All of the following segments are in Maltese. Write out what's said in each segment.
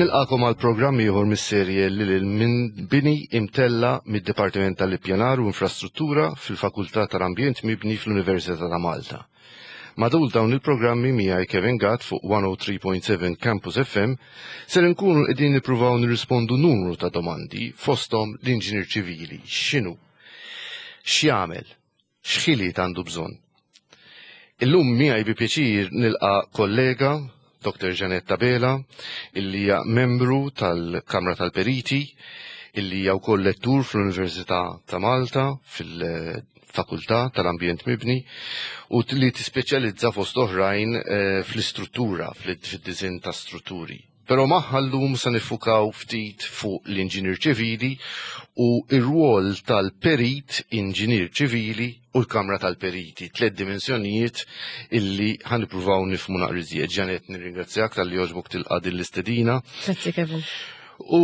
Nilqakom għal programm ieħor mis-serje li lil minn bini imtella mid-Dipartiment tal-Ippjanar u Infrastruttura fil-Fakultà tal-Ambjent Mibni fl-Università ta' Malta. Matul dawn il-programmi miegħi Kevin Gatt fuq 103.7 Campus FM ser inkunu qegħdin nippruvaw nirrispondu numru ta' domandi fosthom l-inġinier ċivili x'inhu, x'jagħmel, x'ħiliet għandu bżonn. Illum miegħi bi pjaċir nilqa' kollega Dr. Jeanette Abela, illi hija membru tal-Kamra tal-Periti, illi hija wkoll lettur fl-Università ta' Malta fil-Fakultà tal-Ambjent Mibni u li tispeċjalizza fost oħrajn eh, fl-istruttura, fid-diżinn ta' strutturi. Però magħha llum se niffukaw ftit fuq l-inġinier ċivili u r-rwol tal-perit inġinier ċivili u l-Kamra tal-Periti, tlett dimensjonijiet illi ħa nippruvaw nifhmu naqra iżjed. Janet, nirringrazzjak talli għoġbok tilqa' din l-istedina. Grazzi Kevin. U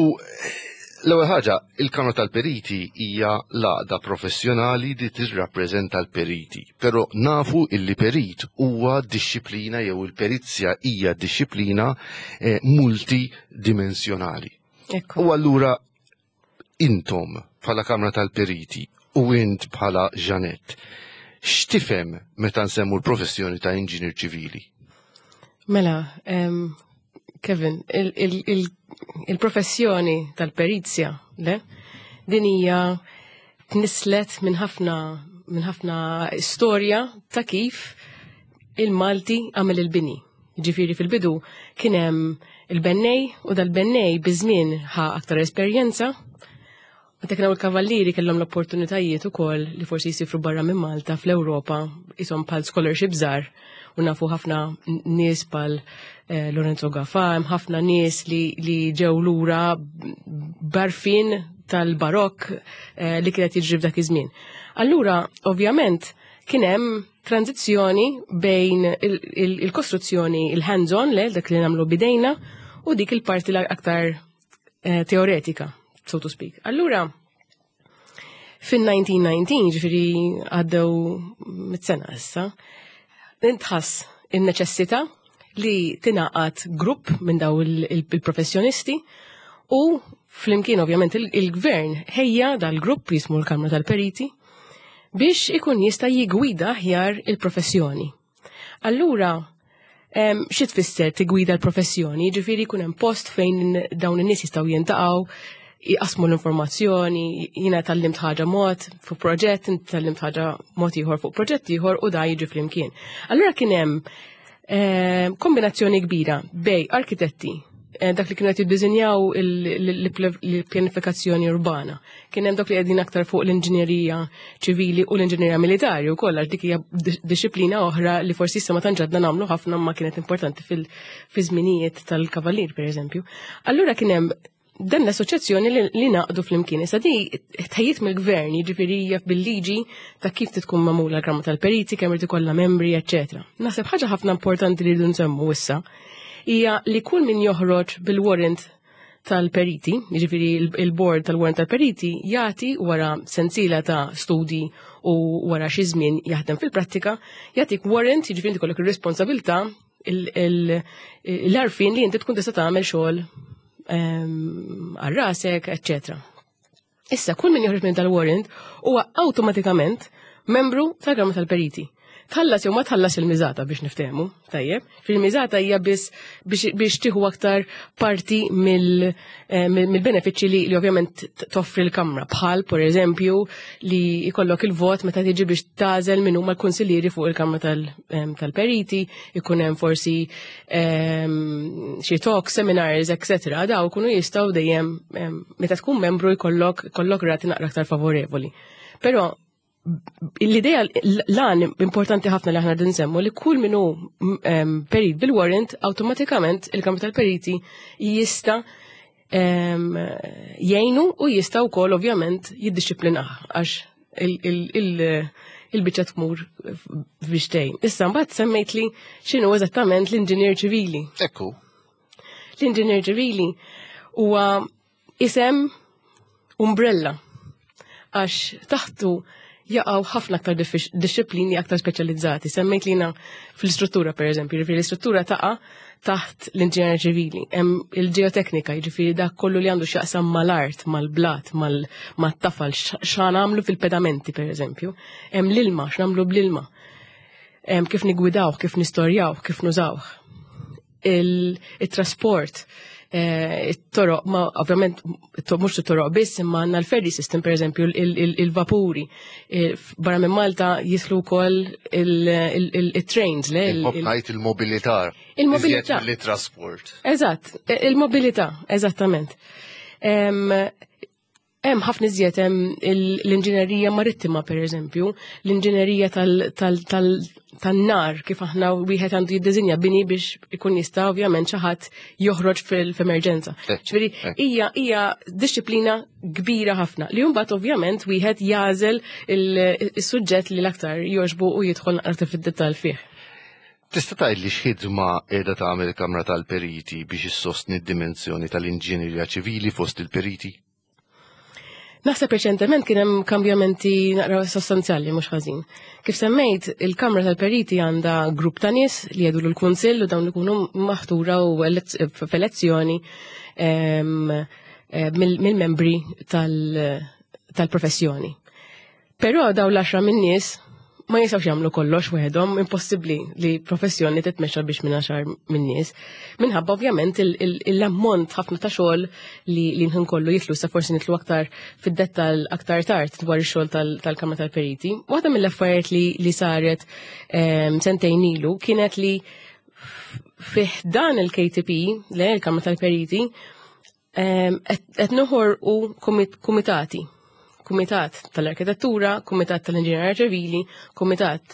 l-ewwel ħaġa, il-Kamra tal-Periti hija l-għaqda professjonali li tirrappreżenta l-periti. Però nafu illi perit huwa dixxiplina jew il-perizja hija dixxiplina eh, multidimensjonali. U allura intom bħala Kamra tal-Periti u int bħala Jeanette, x'tifhem meta nsemmu l-professjoni ta' inġinier ċivili? Mela, Kevin, il-professjoni tal-perizja, le, din hija tnislet minn ħafna minn ħafna storja ta' kif il-Malti għamel il-bini. Ġifiri fil-bidu kien hemm il-bennej u dal-bennej biż-żmien ħa aktar esperjenza. Meta kienu il-kavallieri kellhom l-opportunitajiet ukoll li forsi jsifru barra minn Malta fl-Ewropa ishom bħal scholarship żgħar u nafu ħafna nies bħal eh, Lorenzo Gafa, hemm ħafna nies li, li ġew lura barfin tal-barokk eh, li kienet jiġri f'dak iż-żmien. Allura, ovvjament, kien hemm tranzizzjoni bejn il-kostruzzjoni, il-hands-on, le, dak li nagħmlu bidejna, u dik il-parti l-aktar eh, teoretika, so to speak. Allura, fin-1919, ġifiri għaddew mit-sena issa, intħass in-neċessità li tingħaqad grupp minn daw il-professjonisti u flimkien ovvjament il-gvern ħejja dal-grupp jismu l-Kamra tal-Periti biex ikun jista' jigwida aħjar il-professjoni. Allura, xi tfisser tigwida l-professjoni? Ġifieri jkun hemm post fejn dawn in-nies jistgħu jintaqgħu, jqasmu l-informazzjoni, jiena tallimt ħaġa mod fuq proġett, inti tallimt ħaġa mod ieħor fuq proġett ieħor u da jiġi flimkien. Allura kien hemm kombinazzjoni kbira bej arkitetti, eh, dak li kienu qed jiddiżinjaw l-pjanifikazzjoni urbana. Kien hemm dak li qegħdin aktar fuq l-inġinerija ċivili u l-inġinerija militari wkoll għax dik hija disciplina oħra li forsi issa ma tantx għadna nagħmlu ħafna ma kienet importanti fil-żminijiet tal-kavalier pereżempju. Allura kien hemm dan l-assoċjazzjoni li naqdu fl-imkien. Issa di tħejjiet mill-gvern, jiġifieri hija bil-liġi ta' kif tkun magħmula l-Kamra tal-Periti, kemm irid ikollha membri, eċċetera. Naħseb ħaġa ħafna importanti li rridu nsemmu issa hija li kull min joħroġ bil-warrant tal-periti, jiġifieri il-board tal-warrant tal-periti jagħti wara sensiela ta' studi u wara xi żmien jaħdem fil-prattika, jagħtik warrant, jiġifieri inti kollok ir-responsabilità l-arfin li inti tkun tista' tagħmel xogħol ehm, għal rasek, eċċetera. Issa kull min joħroġ minn tal-warrant huwa awtomatikament membru tal-Kamra tal-Periti. Tħallas jew ma tħallas il-miżata biex niftehmu, tajjeb. Fil-miżata hija biss biex tieħu aktar parti eh, mill-benefiċċji li, li ovvjament toffri l-Kamra, bħal per eżempju li jkollok il-vot meta tiġi biex tagħżel min huma l-kunsillieri fuq il-Kamra tal-Periti, ikun hemm forsi xi talk, seminars, etc. Daw ikunu jistgħu dejjem meta tkun membru jkollok kollok rati naqra aktar favorevoli. Però l-idea l-għan importanti ħafna li aħna din nsemmu li kull minu perit bil-warrant awtomatikament il-Kamra tal-Periti jista' jgħinu u jista' wkoll ovvjament jiddixxiplinah għax il-biċċa tmur biex tgħin. Issa mbagħad semmejt li x'inhu eżattament l-inġinier ċivili. Ekku. L-inġinier ċivili huwa isem umbrella għax taħtu jaqgħu ħafna aktar disċiplini aktar speċjalizzati. Semmejt lina fl-istruttura per eżempju, l-istruttura taqa' taħt l-inġinerija ċivili. Hemm il-ġeoteknika, jiġifieri dak kollu li għandu x'jaqsam mal-art, mal-blat, mat-tafal, x'għamlu fil-pedamenti pereżempju. Hemm l-ilma, x'nagħmlu bl-ilma. Hemm kif nigwidawh, kif nistorjawh, kif nużawh. Il-trasport, it-toroq, ma ovvjament mhux it-toroq biss, imma għandna l-ferry system pereżempju, il-vapuri. Barra minn Malta jidħlu wkoll il-trains, le? Ngħid il-mobilità. Il-mobilità. Li trasport. Eżatt, il-mobilità, eżattament. Hemm ħafna iżjed, hemm l-inġinerija marittima pereżempju, l-inġinerija tan-nar, kif aħna wieħed għandu jiddiżinja bini biex ikun jista' ovvjament xi ħadd joħroġ fil-emerġenza. Ġifieri hija dixxiplina kbira ħafna li mbagħad ovvjament wieħed jagħżel is-suġġett li l-aktar jogħġbu u jidħol aktar fid-dettall fih. Tista' tgħid li x'ħidma qiegħda tagħmel il-Kamra tal-Periti biex issostni d-dimensjoni tal-inġinerija ċivili fost il-periti? Naħseb reċentement kien hemm kambjamenti naqra sostanzjali mhux ħażin. Kif semmejt, il-Kamra tal-Periti għandha grupp ta' nies li jgħidu l-kunsill u dawn ikunu maħtura u f'elezzjoni mill-membri tal-professjoni. Però dawn l-10 minn nies ma jistgħux jagħmlu kollox waħedhom, impossibbli li professjoni titmexxa biex minn 10 minn nies. Minħabba ovvjament l-ammont ħafna ta' xogħol li nħin kollu jitlu, sa forsi nitlu aktar fid-dettall aktar tard dwar ix-xogħol tal-Kamra tal-Periti. Waħda mill-affarijiet li saret sentejn ilu kienet li fih dan il-KTP, le il-Kamra tal-Periti, qed noħorqu kumitati. Kumitat tal-Arkitettura, Kumitat tal-Inġinerija Ċivili, Kumitat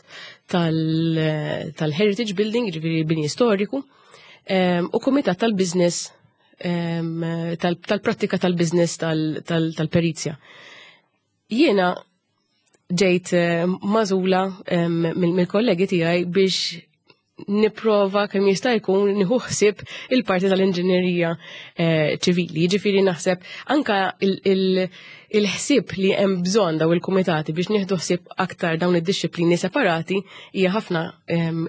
tal-Heritage Building, ġifieri bini storiku, u Kumitat tal-Business, tal-prattika tal-business tal-perizja. Jiena ġejt magħżula mill-kollegi tiegħi biex nipprova kemm jista' jkun nieħu ħsieb il-parti tal-inġinerija ċivili. Jiġifieri naħseb anka il-ħsieb li hemm bżonn daw il-kumitati biex nieħdu ħsieb aktar dawn id-dixxiplini separati hija ħafna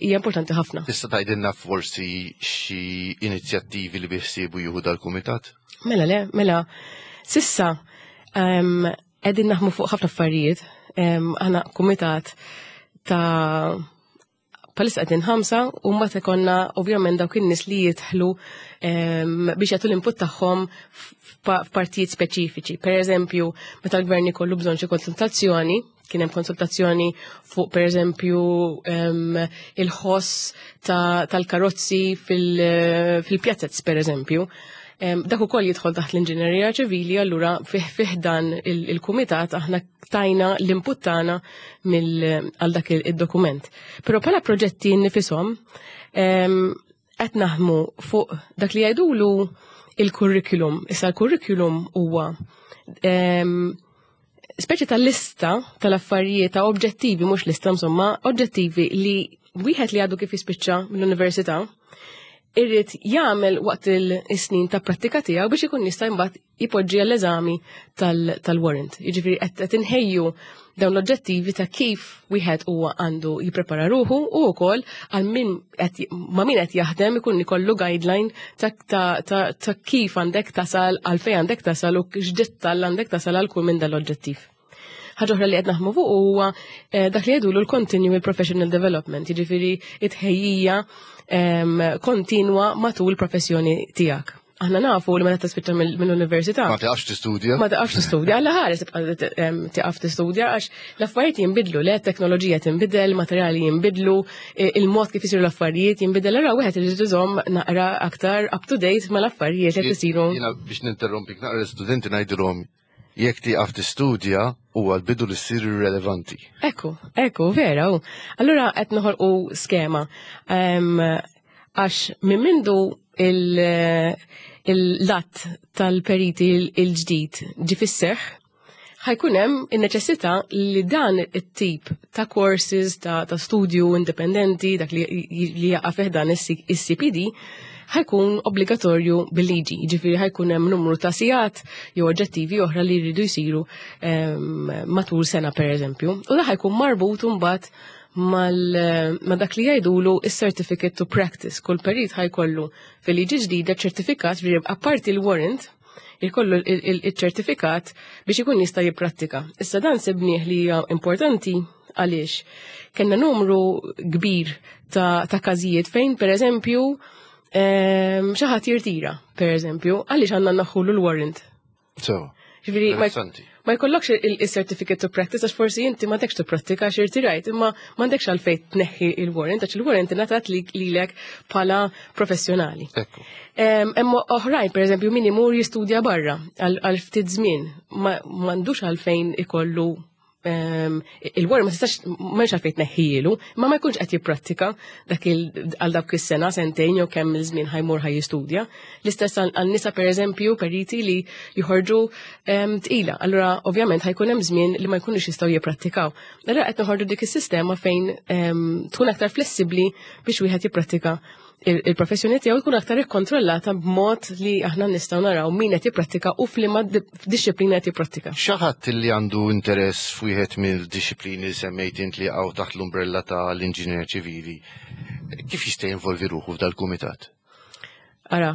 hija importanti ħafna. Tista' tgħidilna forsi xi inizjattivi li biħsiebu jieħu dal-kumitat? Mela le, mela s'issa qegħdin naħmu fuq ħafna affarijiet. Aħna kumitat ta' bħalissa qegħdin 5 u mbagħad ikollna ovvjament dawk in-nies li jidħlu biex jagħtu l-input tagħhom f'partijiet speċifiċi. Per eżempju, meta l-gvern ikollu bżonn xi konsultazzjoni, kien hemm konsultazzjoni fuq per eżempju il-ħoss tal-karozzi fil-pjazzez per eżempju. Dak ukoll jidħol taħt l-inġinerija ċivili, allura fih dan il-kumitat aħna tajna l-input tagħna għal dak id-dokument. Però bħala proġetti nifishom qed naħdmu fuq dak li jgħidulu il-curriculum. Issa l-curriculum huwa speċi ta' lista tal-affarijiet ta' oġġettivi, mhux lista insomma, oġġettivi li wieħed li għadu kif jispiċċa mill-università irrid jagħmel waqt il-snin ta' prattika tiegħu biex ikun jista' mbagħad jipoġġi għall-eżami tal-warrant. Jiġifieri qed inħejju dawn l-oġġettivi ta' kif wieħed huwa għandu jipprepara ruħu u wkoll għal min qed ma' min qed jaħdem ikun ikollu guideline ta' kif għandek tasal, għal fejn għandek tasal u x'dettall għandek tasal għal kull minn dal-oġġettiv. Ħaġa oħra li qed naħmu fuq huwa dak li jgħidulu l-continual professional development, jiġifieri it-tħejjija kontinwa matul professjoni tiegħek. Aħna nafu li meta tispiċċa mill-università. Ma tiqafx tistudja. Ma tiqafx tistudja, alla ħares tibqa' tiqaf tistudja għax l-affarijiet jinbidlu, le teknoloġija tinbidel, materjali jinbidlu, il-mod kif isiru l-affarijiet jinbidel, allura wieħed irid iżomm naqra aktar up to date mal-affarijiet li isiru. Jiena biex ninterrompik naqra l-istudenti ngħidilhom jekk tieqaf tistudja huwa l-bidu li ssir irrelevanti. Ekku, ekku, vera. U. Allura qed noħolqu skema. Għax minn mindu il-lat tal-periti il-ġdid ġi fis-seħħ, ħajkun hemm in-neċessità li dan it-tip ta' courses ta' studju indipendenti, dak li jaqa' fih dan is-CPD, ħajkun obbligatorju bil-liġi, ġifieri ħajkun hemm numru ta' sigħat jew oġġettivi oħra li jridu jsiru matul sena per eżempju. U da ħajkun marbut mbagħad Ma dak li jgħidulu is-certificate to practice. Kull perit ħa jkollu fil-liġi ġdida ċertifikat, ġifieri apparti l-warrant, jkollu il-ċertifikat biex ikun jista' jipprattika. Issa dan sibnieh li hija importanti għaliex kellna numru kbir ta' każijiet fejn, per eżempju, xi ħadd jirtira, per eżempju, għaliex għandna nneħħulu l-warrant? So, Ġifieri ma jkollokx il-certificate to practice għax forsi inti m'għandekx tipprattika għax irtirajt, imma m'għandekx għalfejn tneħħi il-warrant għax il-warrant ingħatat lilek bħala professjonali. Imma oħrajn, per eżempju, min imur jistudja barra għal ftit żmien, m'għandux għalfejn ikollu il-warrant, ma tistax, m'hemmx għalfejn tneħħielu, ma ma jkunx qed jipprattika dak għal dawk is-sena, sentejn jew kemm il-żmien ħa jmur ħa jistudja. L-istess għal nisa, per eżempju, periti li joħorġu tqila. Allura ovvjament ħa jkun hemm żmien li ma jkunux jistgħu jipprattikaw. Allura qed noħorġu dik is-sistema fejn tkun aktar flessibbli biex wieħed jipprattika il-professjoni tiegħu, jkun aktar ikkontrollata b'mod li aħna nistgħu naraw min qed jipprattika u f'liema dixxiplina qed jipprattika. Xi ħadd li għandu interess f'wieħed mill-dixxiplini li semmejt int li hawn taħt l-umbrella tal-inġinier ċivili, kif jista' jinvolvi ruħu f'dal-kumitat? Ara,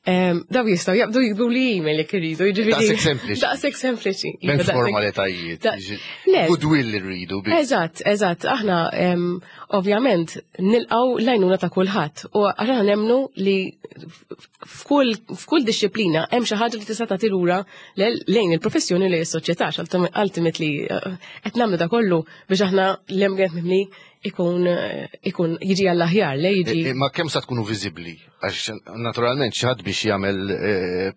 daw jistgħu jaqbdu jiktbu li email jekk iridu, jiġifieri. Daqshekk sempliċi. Daqshekk sempliċi. M'hemmx Iva, formalitajiet. Le. Goodwill li rridu biss. Eżatt. Aħna ovvjament nilqgħu l-għajnuna ta' kulħadd u aħna nemmnu li f'kull dixxiplina hemm xi ħaġa li tista' tagħti lura lejn il-professjoni, lejn is-soċjetà, għax ultimately qed nagħmlu da kollu biex aħna l-ambjent mibni ikun jiġi għall-aħjar, le jiġi. Ma kemm sa tkunu viżibbli? Għax naturalment xi ħadd biex jagħmel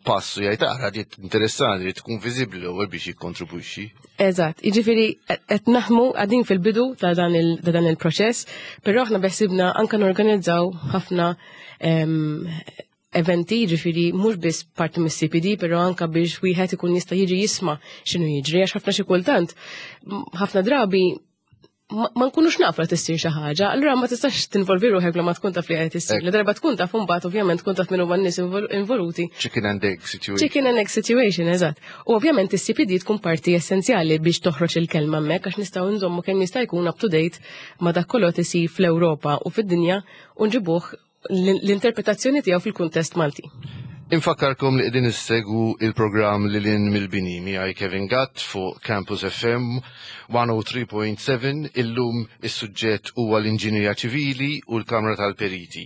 pass u jgħid, "Ara, di interessanti", li tkun viżibbli l-ewwel biex jikkontribwixxi. Eżatt, jiġifieri qed naħdmu, għadin fil-bidu ta' dan il-proċess, però aħna beħsibna anke norganizzaw ħafna eventi, ġifieri mhux biss parti mis-CPD, però anka biex wieħed ikun jista' jiġi jisma' x'inhu jiġri, għax ħafna xi kultant, ħafna drabi ma nkunux nafu li tissir xi ħaġa, allura ma tistax tinvolvi ruħek bla ma tkun taf li qed issir. La darba tkun taf, imbagħad ovvjament tkun taf min huma n-nies involuti. Chicken and egg situation. Chicken and egg situation, eżatt. U ovvjament is-CPD tkun parti essenzjali biex toħroġ il-kelma hemmhekk, għax nistgħu nżommu kemm jista' jkun up to date ma dak kollu qed isir fl-Ewropa u fid-dinja u nġibuh l-interpretazzjoni tiegħu fil-kuntest Malti. Infakkarkom li qegħdin issegwu il-programm Lil Hinn mill-Bini miegħi Kevin Gatt fuq Campus FM 103.7. Illum is-suġġett huwa l-inġinjerija ċivili u l-Kamra tal-Periti.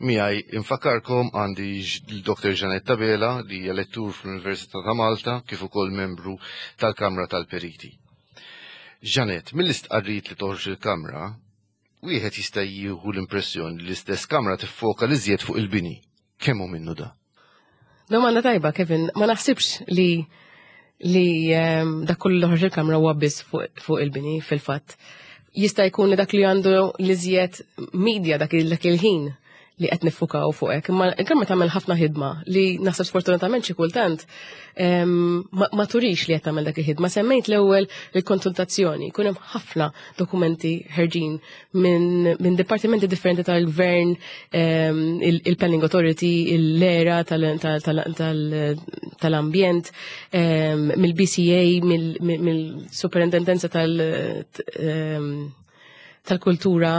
Miegħi, infakkarkom, għandi l-Dr. Jeanette Abela, li hija lettur fl-Università ta' Malta kif ukoll membru tal-Kamra tal-Periti. Jeanette, mill-istqarrijiet li toħroġ il-Kamra, wieħed jista' jieħu l-impressjoni li l-istess Kamra tiffoka l-iżjed fuq il-bini. Kemm hu minnu da? Domanda tajba, Kevin. Ma naħsibx li dak kollu li ħarġ il-Kamra huwa biss fuq il-bini fil-fatt. Jista' jkun li dak li għandu l-iżjed media dak il-ħin li qed niffukaw fuq hekk, imma il-Kamra tagħmel ħafna ħidma li naħseb sfortunatament xi kultant ma turix li qed tagħmel dak il-ħidma. Semmejt l-ewwel il-konsultazzjoni, jkun hemm ħafna dokumenti ħerġin minn dipartimenti differenti tal-gvern, il-Planning Authority, l-ERA tal-ambjent, mill-BCA, mill-Superintendenza tal-kultura,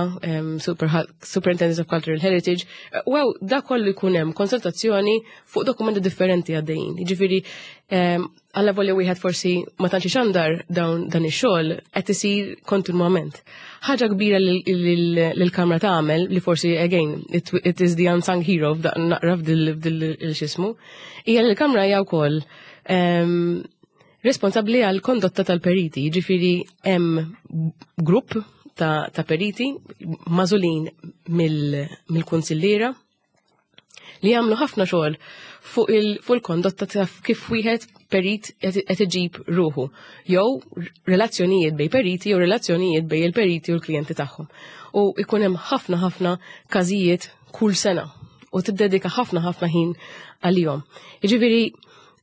Superintendence of Cultural Heritage. Wow, da kollu jkun hemm konsultazzjoni fuq dokumenti differenti għaddejjin. Jiġifieri, alla volja wieħed forsi ma tantx xandar dawn dan ix-xogħol qed isir kontinwament. Ħaġa kbira li l-Kamra tagħmel, li forsi again it is the unsung hero naqra f'dil il-xismu, hija li l-Kamra hija wkoll responsabbli għal kondotta tal-periti, jiġifieri hemm grupp ta' periti magħżulin mill-kunsilliera li jagħmlu ħafna xogħol fuq il-kondotta ta' kif wieħed perit qed iġib ruħu, jew relazzjonijiet bejn periti jew relazzjonijiet bejn il-periti u l-klijenti tagħhom. U ikun hemm ħafna ħafna każijiet kull sena u tiddedika ħafna ħafna ħin għalihom. Jiġifieri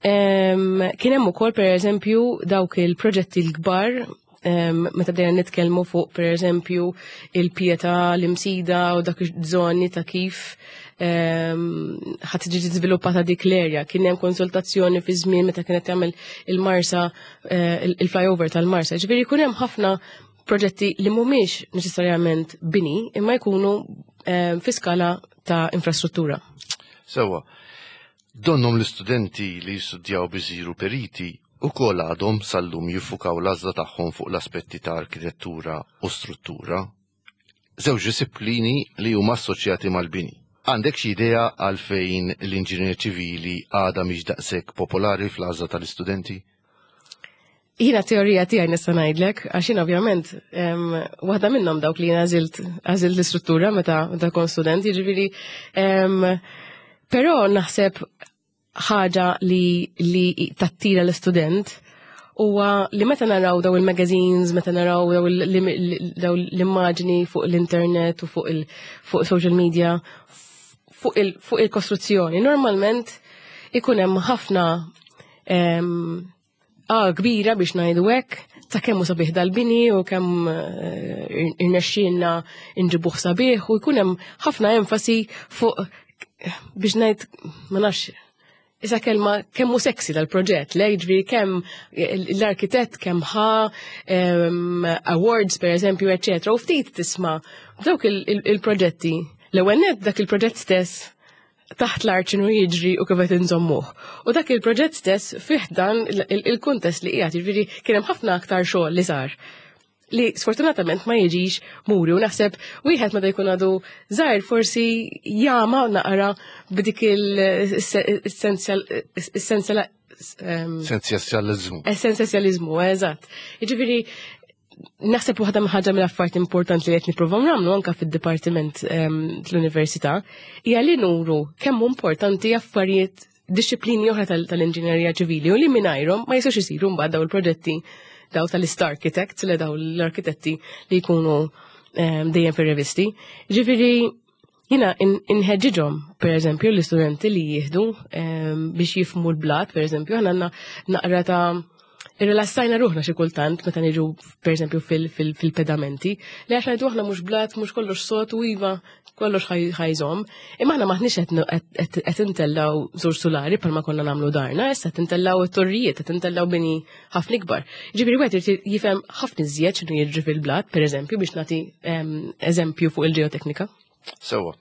kien hemm ukoll, pereżempju, dawk il-proġetti l-kbar, meta bdejna nitkellmu fuq, pereżempju, il-Pietà, l-Imsida u dak iż-żoni ta' kif ħadd tiġi żviluppata dik l-area. Kien hemm konsultazzjoni fi żmien meta kienet tagħmel il-Marsa, il-flyover tal-Marsa. Ġifieri jkun hemm ħafna. Proġetti li mhumiex neċessarjament bini imma jkunu fi skala ta' infrastruttura. Sewa, donnhom l-istudenti li jistudjaw biex isiru periti ukoll għadhom sal-lum jiffukaw l-għażla tagħhom fuq l-aspetti ta' arkitettura u struttura. Żewġ disciplini li huma assoċjati mal-bini. Għandek xi idea għalfejn l-inġinier ċivili għadha mhix daqshekk popolari fl-għażla tal-istudenti? Jiena teorija tiegħi nista' ngħidlek, għax jien ovvjament waħda minnhom dawk li jiena għażilt l-istruttura meta meta kont student, jiġifieri però naħseb ħaġa li li tattira l-istudent huwa li meta naraw daw il-magazines, meta naraw daw l-immaġni fuq l-internet u fuq il fuq social media, fuq il-kostruzzjoni, normalment ikun hemm ħafna kbira biex ngħidu hekk ta' kemm hu sabiħ dal-bini u kemm irnexxielna nġibuh sabiħ u jkun hemm ħafna enfasi fuq biex ngħid ma nafx isa kelma kemm hu sexy dal-proġett, le jiġri kemm l-arkitett kemm ħa awards per eżempju, eċetera, u ftit tisma' dawk il-proġetti. L-ewwel nett dak il-proġett stess taħt l-art x'inhu jiġri u kif qed inżommuh. U dak il-proġett stess fih dan il-kuntest li qiegħed, jiġifieri kien hemm ħafna aktar xogħol li sar li sfortunatament ma jiġix muri u naħseb wieħed meta jkun għadu żgħir forsi jama naqra b'dik il-essenzjal Essenzjalizmu. Essenzjalizmu, eżatt. Jiġifieri naħseb waħda ħaġa mill-affarijiet importanti li qed nippruvaw nagħmlu anke fid-dipartiment tal-università hija li nuru kemm hu importanti affarijiet disċiplini oħra tal-inġinerija ċivili u li mingħajrhom ma jistgħux isiru mbagħad daw il-proġetti daw tal-star architects li daw l-arkitetti li jkunu dejjem fir-revisti. Ġifieri jiena inħeġġiġhom, per eżempju, l-istudenti li jieħdu biex jifhmu l-blat, per eżempju, aħna għandna naqra ta' irrilassajna ruħna xi kultant meta niġu per eżempju fil-pedamenti, li għax ngħidu aħna mhux blat, mhux kollox sod u iva kollox ħajżomm, imma aħna maħniex qed intellaw żewġ sulari bħalma konna nagħmlu darna, issa qed intellaw it-torrijiet, qed intellaw bini ħafna ikbar. Ġifieri wieħed irid jifhem ħafna iżjed x'inhu jiġri fil-blat, per eżempju, biex nagħti eżempju fuq il-ġeoteknika. Sewa.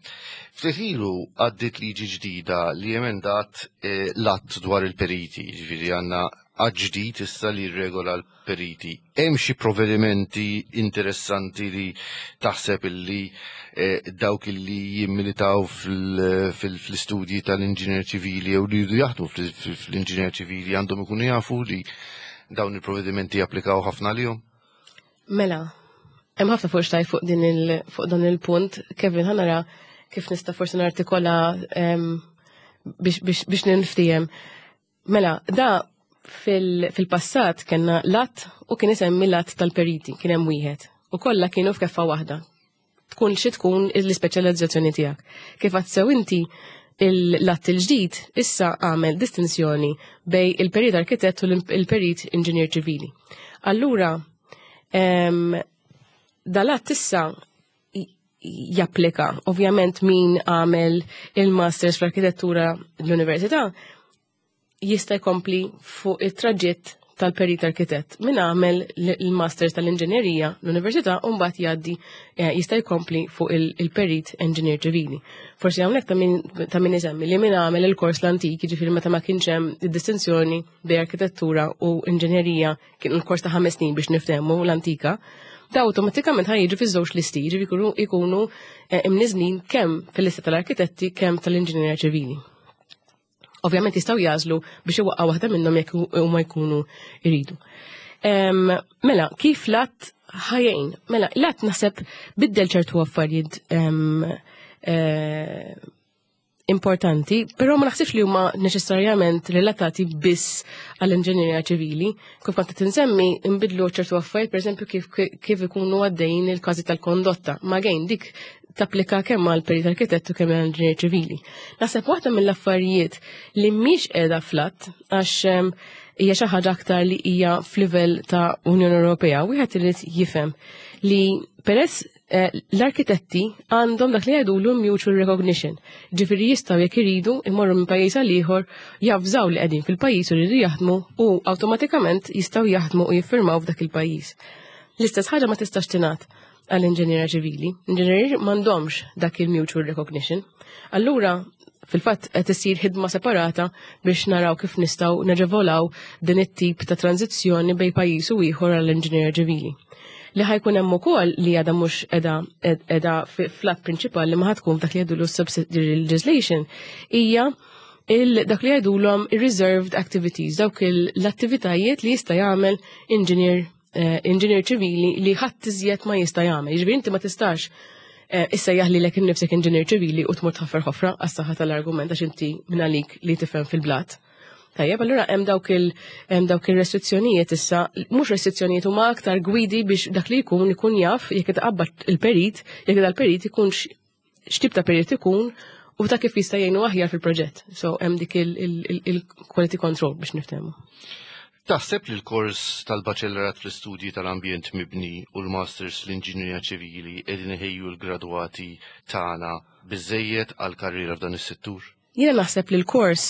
Ftit ilu għaddiet liġi ġdida li emendat l-att dwar il-periti, ġifieri għandna att ġdid issa li jirregola l-periti. Hemm xi provvedimenti interessanti li taħseb illi dawk illi jimmilitaw fl-istudji tal-inġinier ċivili jew li jridu jaħdmu fl-inġinier ċivili għandhom ikunu jafu li dawn il-provvedimenti japplikaw ħafna għalihom? Mela, hemm ħafna fuq xtajt fuq din il fuq dan il-punt. Kevin, ħa nara kif nista' forsi nartikola biex biex biex ninftiehem. Mela, da fil-passat kellna l-att u kien isemmi l-att tal-periti, kien hemm wieħed. U kollha kienu f'keffa waħda. Tkun xi tkun l-ispeċjalizzazzjoni tiegħek. Kif għad sew inti l-att il-ġdid issa għamel distinzjoni bej il-perit arkitett u l-perit inġinier ċivili. Allura, dal-att issa japplika, ovvjament min għamel il-masters fl-arkitettura l-università jista' jkompli fuq it-traġitt tal-perit arkitett. Min għamel il-masters tal-inġinerija l-università u mbagħad jgħaddi jista' jkompli fuq il-perit engineer ċivili. Forsi hawnhekk ta' min isemmi li min għamel il-kors l-antik, jiġifieri meta ma kienx hemm id-distinzjoni bejn arkitettura u inġinerija, kien il-kors ta' 5 snin biex niftehmu l-antika, da awtomatikament ħa jiġu fiż-żewġ listi, jiġifieri jkunu imniżnin kemm fil-lista tal-arkitetti kemm tal-inġinerija ċivili. Ovvjament jistgħu jażlu biex iwaqqgħu waħda minnhom jekk huma jkunu jridu. Mela, kif l-att ħajjin? Mela, l-att naħseb biddel ċertu affarijiet importanti, però ma naħsibx li huma neċessarjament relatati biss għall-inġinerija ċivili. Kif kont qed insemmi, nbidlu ċertu affarijiet, pereżempju kif ikunu għaddejjin il-każi tal-kondotta. Ma gejn dik tapplika kemm għal perit arkitettu kemm għal inġinier ċivili. Naħseb waħda mill-affarijiet li mhix qiegħda fl-att għax hija xi ħaġa aktar li hija f'livell ta' Unjoni Ewropea, wieħed irid jifhem li peress l-arkitetti għandhom dak li jgħidulu mutual recognition. Ġifieri jistgħu jekk iridu imorru minn pajjiż għal ieħor, javżaw li qegħdin fil-pajjiż u jridu jaħdmu u awtomatikament jistgħu jaħdmu u jiffirmaw f'dak il-pajjiż. L-istess ħaġa ma tistax tingħad għall-inġiniera ċivili. Inġinieri m'għandhomx dak il-mutual recognition. Allura, fil-fatt qed isir ħidma separata biex naraw kif nistgħu naġevolaw din it-tip ta' tranzizzjoni bejn pajjiż u ieħor għall-inġiniera ċivili. Li ħa jkun hemm ukoll li għadha mhux qiegħda fl-att prinċipali li ma ħa tkun f'dak li jgħidulu subsidiary legislation hija dak li jgħidulhom reserved activities, dawk l-attivitajiet li jista' jagħmel engineer ċivili li ħadd iżjed ma jista' jagħmel. Jiġifieri inti ma tistax issejjaħ lilek innifsek engineer ċivili u tmur tħaffer ħofra għas-saħħa tal-argument għax inti minn għalik li tifhem fil-blat. Tajjeb, allura hemm dawk il-restrizzjonijiet issa, mhux restrizzjonijiet, huma aktar gwidi biex dak li jkun ikun jaf jekk itqabbad il-perit, jekk dal-perit ikun x'tip ta' perit ikun u ta' kif jista' jgħinu aħjar fil-proġett. So hemm dik il-quality control biex niftehmu. Taħseb li l-kors tal-baċellerat fl-istudji tal-ambjent mibni u l-masters l-inġinjerija ċivili qegħdin iħejju l-gradwati tagħna biżejjed għal karriera f'dan is-settur? Jiena naħseb li l-kors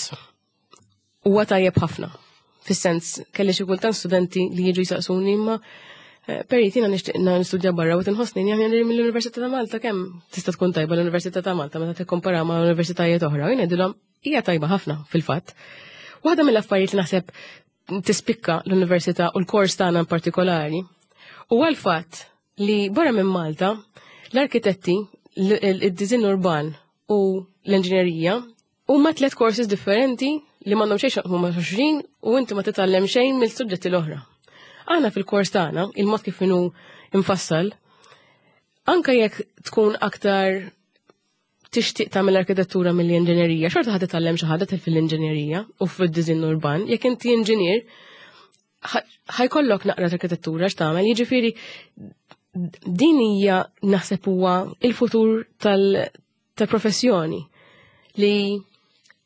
huwa tajjeb ħafna. Fis-sens, kelli xi kultant studenti li jiġu jisaqsuni, imma perit, jiena nixtieq nistudja barra u tinħossni aħjar mill-Università ta' Malta, kemm tista' tkun tajba l-Università ta' Malta meta tikkompara ma' universitajiet oħra? Jien ngħidilhom hija tajba ħafna fil-fatt. Waħda mill-affarijiet li naħseb tispikka l-università u l-kors tagħna in partikolari huwa l-fatt li barra minn Malta l-arkitetti, id-diżinn urban u l-inġinerija huma tliet courses differenti li m'għandhom xejn x'jaqsmu ma' xulxin u inti ma titgħallem xejn mill-suġġetti l-oħra. Aħna fil-kors tagħna, il-mod kif inhu infassal, anka jekk tkun aktar tixtieq tagħmel arkitettura mill-inġinerija, xorta ħa titgħallem xi ħaġa fil-inġinerija u fid-diżinn urban. Jekk inti inġinier, ħa jkollok naqra arkitettura x'tagħmel, jiġifieri din hija naħseb huwa il-futur tal-professjoni li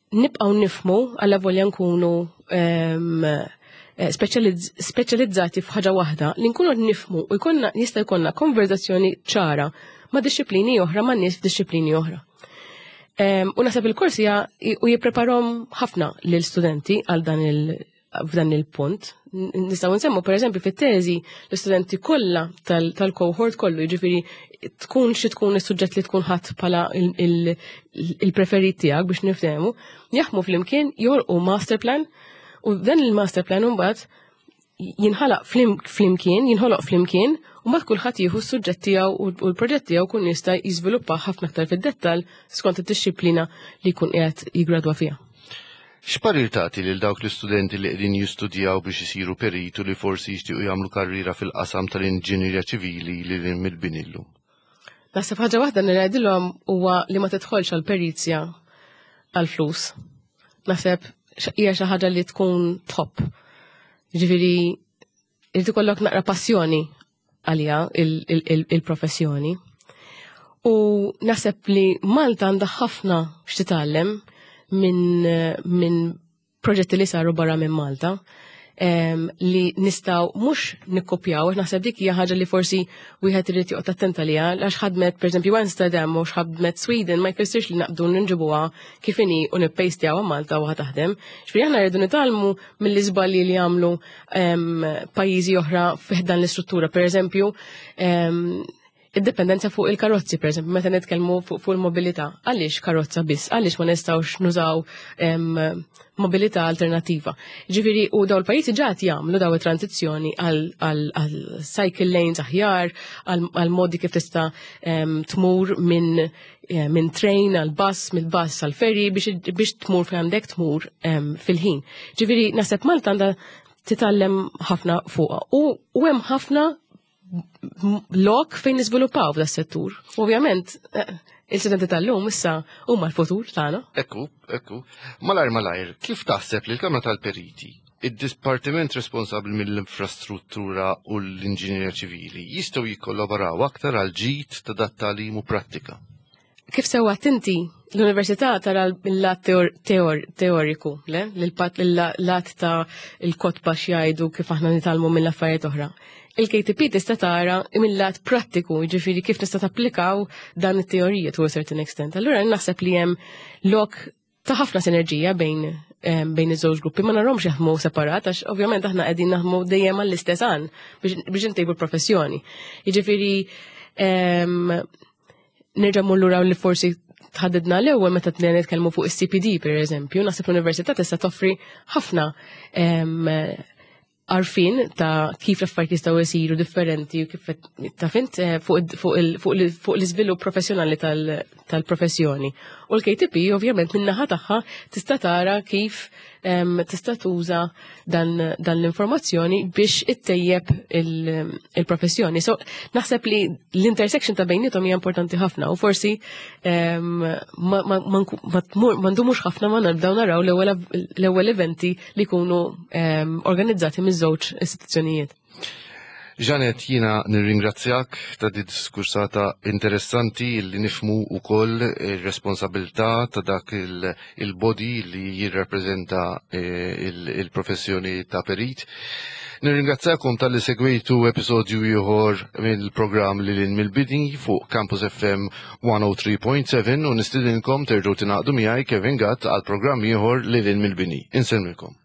nibqgħu nifhmu għalla volja nkunu speċjalizzati f'ħaġa waħda, li nkunu nifhmu u jkollna jista' jkollna konverzazzjoni ċara ma' disċiplini oħra, ma' nies f'disċiplini oħra. U naħseb il-kors hija u jippreparahom ħafna lil studenti għal dan il f'dan il-punt. Nistgħu nsemmu pereżempju fit-teżi l-istudenti kollha tal-cohort kollu, jiġifieri tkun xi tkun is-suġġett li tkun ħadd bħala il-preferit tiegħek biex niftehmu, jaħdmu flimkien, joħolqu master plan u dan il-master plan imbagħad jinħalaq flimkien, jinħoloq flimkien u mbagħad kulħadd jieħu s-suġġett tiegħu u l-proġett tiegħu kun jista' jiżviluppa ħafna aktar fid-dettall skont id-dixxiplina li jkun qiegħed jiggradwa fiha. X'parir tagħti lil dawk l-istudenti li qegħdin jistudjaw biex isiru peritu li forsi jixtiequ jagħmlu karriera fil-qasam tal-inġinerija ċivili li lil mill-bini llum? Naħseb ħaġa waħda li ngħidilhom huwa li ma tidħolx għal perizja għal flus. Naħseb hija xi ħaġa li tkun top. Ġifieri irid ikollok naqra passjoni għalija il-professjoni. U naħseb li Malta għandha ħafna x'titgħallem minn proġetti li saru barra minn Malta li nistgħu mhux nikkopjaw, naħseb dik hija ħaġa li forsi wieħed irid joqgħod attent għaliha, għax ħadmet pereżempju Amsterdam u ħadmet Sweden ma jfissirx li naqbdu nġibuha kif inhi u nippejstjawha Malta u ħa taħdem. Ġifieri aħna rridu nitgħallmu mill-iżbalji li jagħmlu pajjiżi oħra fih dan l-istruttura. Pereżempju, id-dipendenza fuq il-karozzi, per eżempju, meta nitkellmu fuq il-mobilità. Għaliex karozza biss? Għaliex ma nistgħux nużaw mobilità alternativa? Ġifieri, u daw il-pajjiżi ġat jagħmlu daw it-tranzizzjoni għal cycle lanes aħjar, għal modi kif tista' tmur minn train għal bus, mill-bus għal ferry biex tmur fejn għandek tmur fil-ħin. Ġifieri, naħseb Malta għandha titgħallem ħafna fuqha. U hemm ħafna lok fejn niżviluppaw f'da settur. Ovvjament, il-studenti tal-lum issa huma l-futur tagħna. Ekku, ekku. Malajr, malajr, kif taħseb li l-Kamra tal-Periti, id-dipartiment responsabbli mill-infrastruttura u l-inġinjerija ċivili jistgħu jikkollaboraw aktar għal ġid ta' dat tagħlim u prattika? Kif sewwa inti, l-università tara l-lat teoriku, le? L-lat ta' il-kotba x'jgħidu, kif aħna nitgħallmu mill-affarijiet oħra. Il-KTP tista' tara mill-lat prattiku, jiġifieri kif tista' tapplikaw dan it-teorija to a certain extent. Allura naħseb li hemm lok ta' ħafna sinerġija bejn bejn iż-żewġ gruppi ma narhomx jaħdmu separat għax ovvjament aħna qegħdin naħdmu dejjem għall-istess għan biex intejbu l-professjoni. Jiġifieri nerġa' mmur lura li forsi tħaddidna l-ewwel meta tnejn nitkellmu fuq is-CPD pereżempju, naħseb l-università tista' toffri ħafna għarfien ta' kif l-affarijiet jistgħu jsiru differenti u kif ta' fint eh, fuq l-iżvilupp professjonali tal-professjoni. U l-KTP ovvjament min-naħa tagħha tista' tara kif tista' tuża dan l-informazzjoni biex ittejjeb il-professjoni. So naħseb li l-intersection ta' bejnietom hija importanti ħafna u forsi ma ndumux ħafna ma nabdaw naraw l-ewwel eventi li jkunu organizzati miż-żewġ istituzzjonijiet. Janet, jina nirringrazzjak ta' di diskursata interessanti li nifmu u koll il-responsabilità ta' dak il-body li jirrappreżenta eh, il-professjoni ta' perit. Nirringrazzjakom tal-li segwejtu episodju ieħor mill-programm li lil mill-bidni fuq Campus FM 103.7 u nistidinkom terġgħu tingħaqdu miegħi Kevin Gatt għal programm ieħor li lil mill-bini. Insellmilkom.